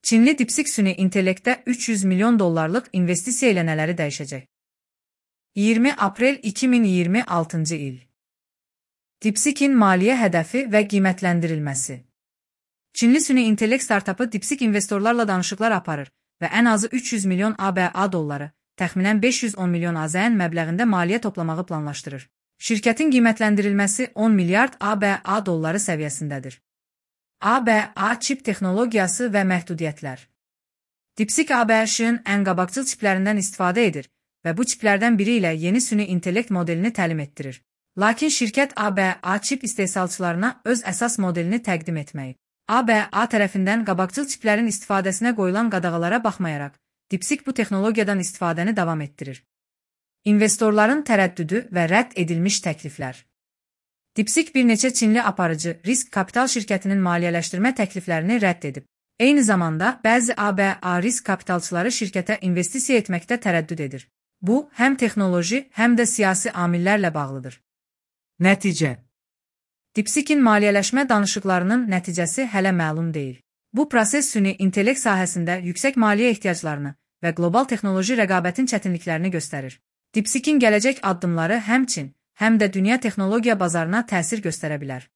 Çinli DeepSeek süni intellektdə 300 milyon dollarlıq investisiya ilə nələri dəyişəcək? 20 aprel 2026-cı il. DeepSeek'in maliyyə hədəfi və qiymətləndirilməsi. Çinli süni intellekt startapı DeepSeek investorlarla danışıqlar aparır və ən azı 300 milyon ABA dolları, təxminən 510 milyon AZN məbləğində maliyyə toplamağı planlaşdırır. Şirkətin qiymətləndirilməsi 10 milyard ABA dolları səviyyəsindədir. ABA çip texnologiyası və məhdudiyyətlər. DeepSeek ABA-şın ən qabaqcıl çiplərindən istifadə edir və bu çiplərdən biri ilə yeni süni intellekt modelini təlim etdirir. Lakin şirkət ABA çip istehsalçılarına öz əsas modelini təqdim etməyib. ABA tərəfindən qabaqcıl çiplərin istifadəsinə qoyulan qadağalara baxmayaraq, DeepSeek bu texnologiyadan istifadəni davam etdirir. İnvestorların tərəddüdü və rədd edilmiş təkliflər. DeepSeek bir neçə Çinli aparıcı risk kapital şirkətinin maliyyələşdirmə təkliflərini rədd edib. Eyni zamanda, bəzi ABA risk kapitalçıları şirkətə investisiya etməkdə tərəddüd edir. Bu, həm texnoloji, həm də siyasi amillərlə bağlıdır. Nəticə. DeepSeek'in maliyyələşmə danışıqlarının nəticəsi hələ məlum deyil. Bu proses süni intellekt sahəsində yüksək maliyyə ehtiyaclarını və qlobal texnoloji rəqabətin çətinliklərini göstərir. DeepSeek'in gələcək addımları həm Çin, həm də dünya texnologiya bazarına təsir göstərə bilər.